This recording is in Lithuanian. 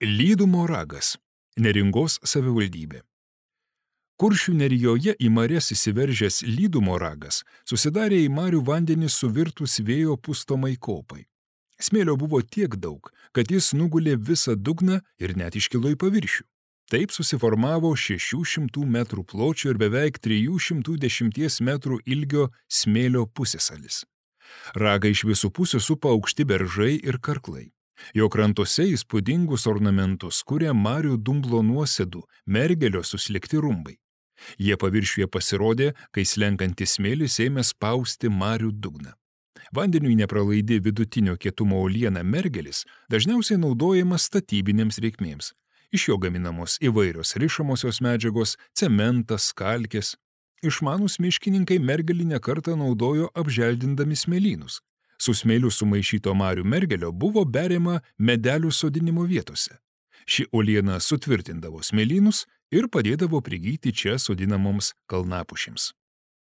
Lydumo ragas – Neringos savivaldybė. Kuršių Nerijoje į marias įsiveržęs Lydumo ragas susidarė į marių vandenį suvirtus vėjo pustomai kopai. Smėlio buvo tiek daug, kad jis nugulė visą dugną ir net iškilo į paviršių. Taip susiformavo 600 metrų pločio ir beveik 310 metrų ilgio smėlio pusiasalis. Ragą iš visų pusių supa aukšti beržai ir karklai. Jo krantuose įspūdingus ornamentus kuria marių dumblo nuosėdų, mergelio suslikti rumbai. Jie paviršiuje pasirodė, kai slenkantis smėlis ėmė spausti marių dugną. Vandeniui nepralaidi vidutinio kietumo uoliena mergelis dažniausiai naudojamas statybinėms reikmėms. Iš jo gaminamos įvairios rišamosios medžiagos, cementas, kalkės. Išmanūs miškininkai mergelį ne kartą naudojo apželdindami smėlynus. Su smėliu sumaišyto marių mergelio buvo beriama medelių sodinimo vietose. Ši uoliena sutvirtindavo smėlynus ir padėdavo prigyti čia sodinamoms kalnapušims.